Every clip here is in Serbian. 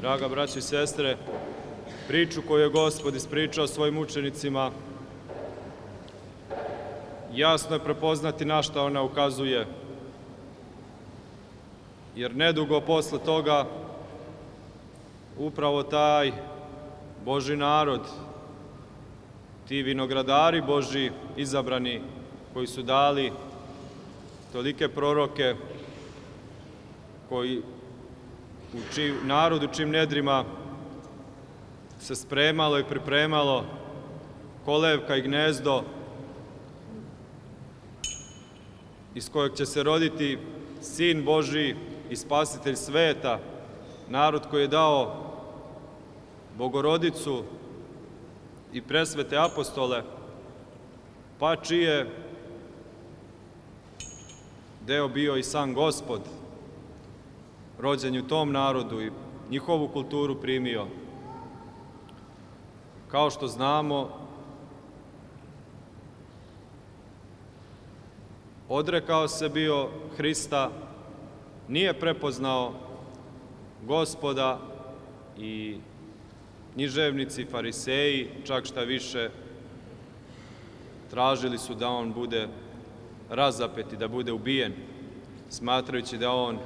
Draga braćo i sestre, priču koju je Gospod ispričao svojim učenicima, jasno je prepoznati na šta ona ukazuje. Jer nedugo posle toga upravo taj Božji narod, ti vinogradari Božji izabrani, koji su dali tolike proroke, koji narodu čim nedrima se spremalo i pripremalo kolevka i gnezdo iz kojeg će se roditi Sin Božji i Spasitelj sveta, narod koji je dao Bogorodicu i presvete apostole, pa čiji je deo bio i sam Gospod, rođen u tom narodu i njihovu kulturu primio. Kao što znamo, odrekao se bio Hrista, nije prepoznao Gospoda i književnici, fariseji, čak šta više, tražili su da on bude razapet i da bude ubijen, smatrajući da on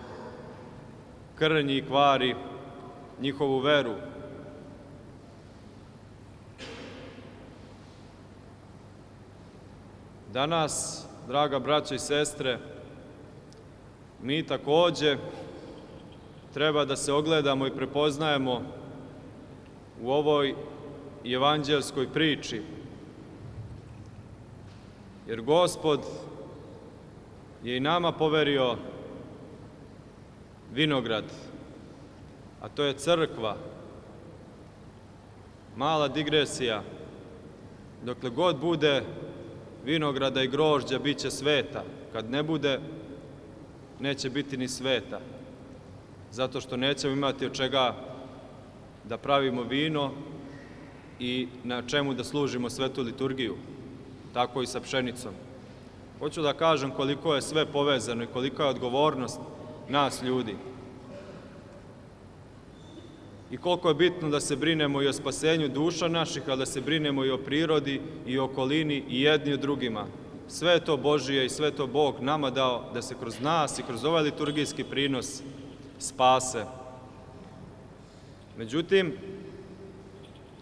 krnji i kvari njihovu veru. Danas, draga braćo i sestre, mi takođe treba da se ogledamo i prepoznajemo u ovoj evanđelskoj priči. Jer Gospod je i nama poverio vinograd, a to je crkva. Mala digresija, dokle god bude vinograda i grožđa, bit će sveta. Kad ne bude, neće biti ni sveta. Zato što nećemo imati od čega da pravimo vino i na čemu da služimo svetu liturgiju. Tako i sa pšenicom. Hoću da kažem koliko je sve povezano i kolika je odgovornost nas ljudi. I koliko je bitno da se brinemo i o spasenju duša naših, ali da se brinemo i o prirodi i o okolini i jedni o drugima. Sve je to Božije i sve to Bog nama dao da se kroz nas i kroz ovaj liturgijski prinos spase. Međutim,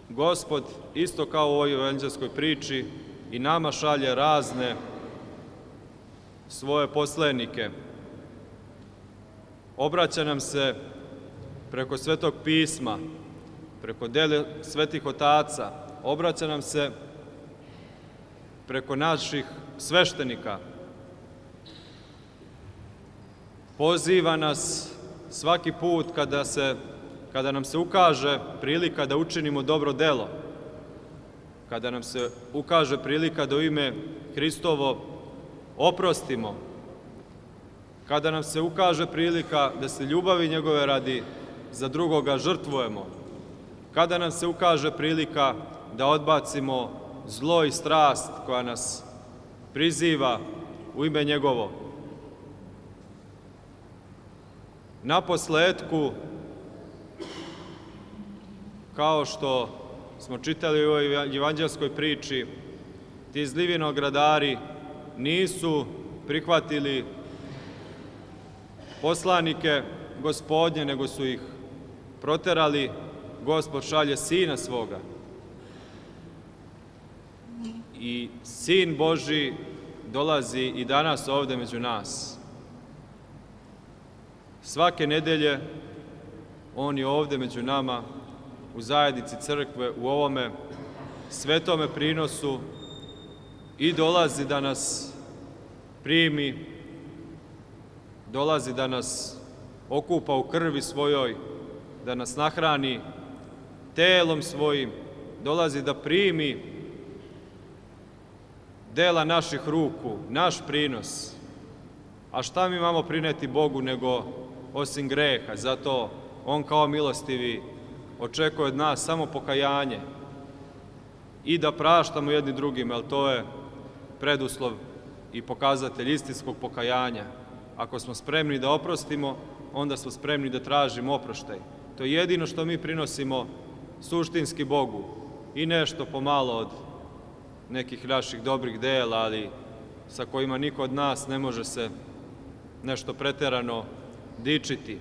Gospod, isto kao u ovoj evanđelskoj priči, i nama šalje razne svoje poslanike. Obraća nam se preko Svetog pisma, preko dela svetih otaca, obraća nam se preko naših sveštenika. Poziva nas svaki put kada nam se ukaže prilika da učinimo dobro delo, kada nam se ukaže prilika da u ime Hristovo oprostimo, kada nam se ukaže prilika da se ljubavi njegove radi za drugoga žrtvujemo, kada nam se ukaže prilika da odbacimo zlo i strast koja nas priziva u ime njegovo. Naposletku, kao što smo čitali u ovoj evanđelskoj priči, ti zli vinogradari nisu prihvatili poslanike Gospodnje, nego su ih proterali. Gospod šalje Sina svoga. I Sin Božji dolazi i danas ovde među nas. Svake nedelje on je ovde među nama, u zajednici crkve, u ovome svetome prinosu, i dolazi da nas primi, dolazi da nas okupa u krvi svojoj, da nas nahrani telom svojim, dolazi da primi dela naših ruku, naš prinos. A šta mi imamo prineti Bogu nego osim greha? Zato on kao milostivi očekuje od nas samo pokajanje i da praštamo jedni drugima, jer to je preduslov i pokazatelj istinskog pokajanja. Ako smo spremni da oprostimo, onda smo spremni da tražimo oproštaj. To je jedino što mi prinosimo suštinski Bogu i nešto pomalo od nekih naših dobrih dela, ali sa kojima niko od nas ne može se nešto preterano dičiti.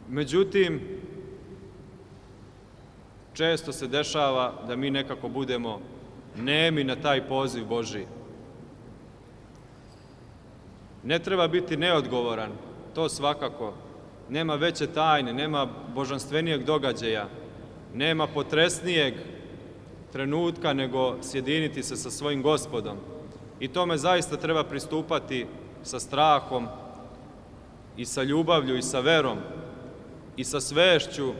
Međutim, često se dešava da mi nekako budemo nemi na taj poziv Božji. Ne treba biti neodgovoran, to svakako. Nema veće tajne, nema božanstvenijeg događaja, nema potresnijeg trenutka nego sjediniti se sa svojim Gospodom. I tome zaista treba pristupati sa strahom i sa ljubavlju i sa verom i sa svešću,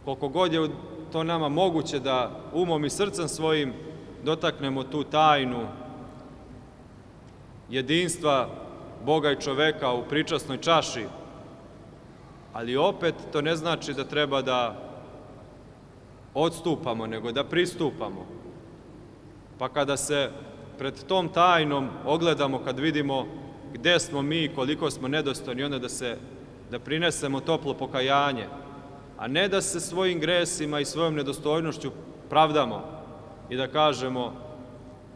koliko god je to nama moguće da umom i srcem svojim dotaknemo tu tajnu jedinstva Boga i čoveka u pričasnoj čaši, ali opet to ne znači da treba da odstupamo, nego da pristupamo. Pa kada se pred tom tajnom ogledamo, kad vidimo gde smo mi i koliko smo nedostojni, onda da prinesemo toplo pokajanje, a ne da se svojim gresima i svojom nedostojnošću pravdamo i da kažemo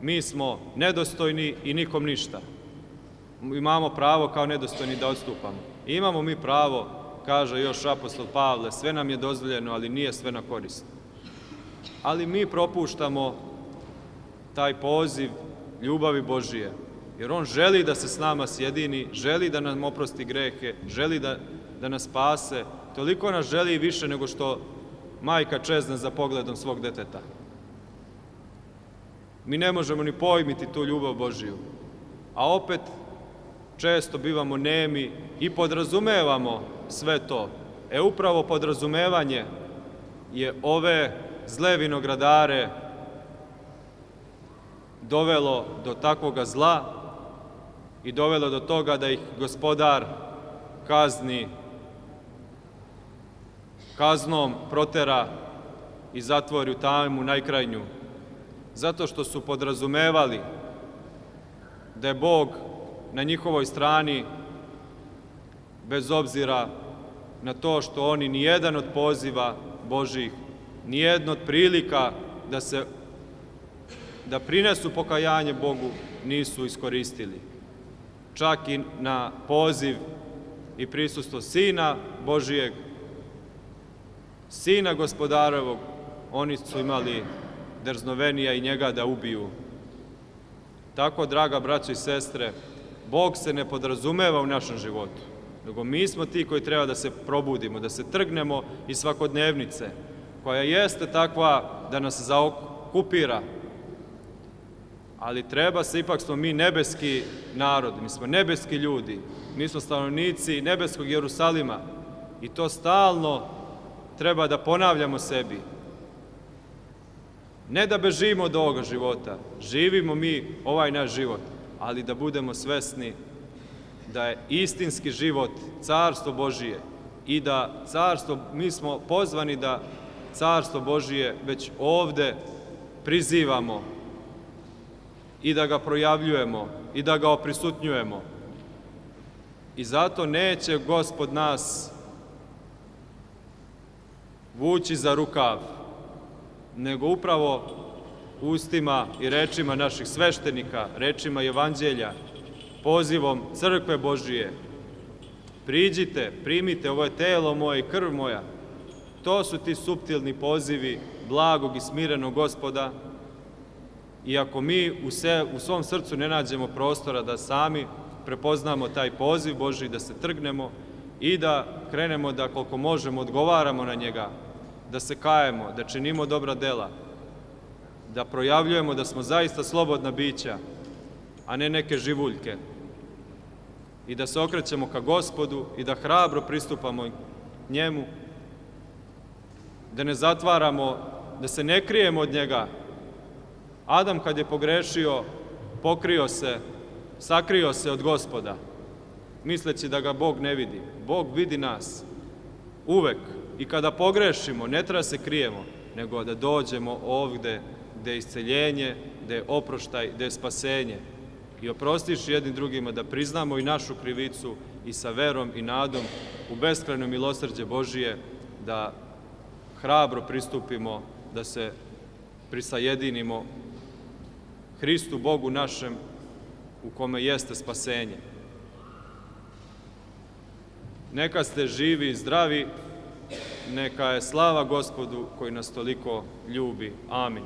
mi smo nedostojni i nikom ništa. Imamo pravo kao nedostojni da odstupamo. I imamo mi pravo, kaže još apostol Pavle, sve nam je dozvoljeno, ali nije sve na korist. Ali mi propuštamo taj poziv ljubavi Božije, jer on želi da se s nama sjedini, želi da nam oprosti grehe, želi da nas spase, toliko nas želi više nego što majka čezne za pogledom svog deteta. Mi ne možemo ni pojmiti tu ljubav Božiju, a opet često bivamo nemi i podrazumevamo sve to. Upravo podrazumevanje je ove zle vinogradare dovelo do takvoga zla i dovelo do toga da ih Gospodar kazni, kaznom protera i zatvori u tamu najkrajnju, zato što su podrazumevali da je Bog na njihovoj strani, bez obzira na to što oni nijedan od poziva Božih, nijedno od prilika da prinesu pokajanje Bogu nisu iskoristili. Čak i na poziv i prisustvo Sina Božijeg, Sina Gospodarovog, oni su imali drznovenija i njega da ubiju. Tako, draga braćo i sestre, Bog se ne podrazumeva u našem životu, nego mi smo ti koji treba da se probudimo, da se trgnemo iz svakodnevnice, koja jeste takva da nas zaokupira, ali ipak smo mi nebeski narod, mi smo nebeski ljudi, mi smo stanovnici nebeskog Jerusalima i to stalno treba da ponavljamo sebi. Ne da bežimo od ovoga života, živimo mi ovaj naš život, ali da budemo svesni da je istinski život Carstvo Božije i da mi smo pozvani da Carstvo Božije već ovde prizivamo i da ga projavljujemo i da ga oprisutnjujemo. I zato neće Gospod nas vući za rukav, nego upravo ustima i rečima naših sveštenika, rečima Evanđelja, pozivom Crkve Božije. Priđite, primite, ovo je telo moje i krv moja. To su ti suptilni pozivi blagog i smirenog Gospoda. I ako mi u svom srcu ne nađemo prostora da sami prepoznamo taj poziv Božji, da se trgnemo i da krenemo da koliko možemo odgovaramo na njega, da se kajemo, da činimo dobra dela, da projavljujemo da smo zaista slobodna bića, a ne neke živuljke, i da se okrećemo ka Gospodu i da hrabro pristupamo njemu, da ne zatvaramo, da se ne krijemo od njega. Adam kad je pogrešio, pokrio se, sakrio se od Gospoda, misleći da ga Bog ne vidi. Bog vidi nas uvek i kada pogrešimo, ne treba se krijemo, nego da dođemo ovde gde je isceljenje, gde je oproštaj, gde je spasenje. i oprostiš jednim drugima, da priznamo i našu krivicu i sa verom i nadom u beskrajno milosrđe Božije, da hrabro pristupimo, da se prisajedinimo Hristu Bogu našem u kome jeste spasenje. Neka ste živi i zdravi, neka je slava Gospodu koji nas toliko ljubi. Amin.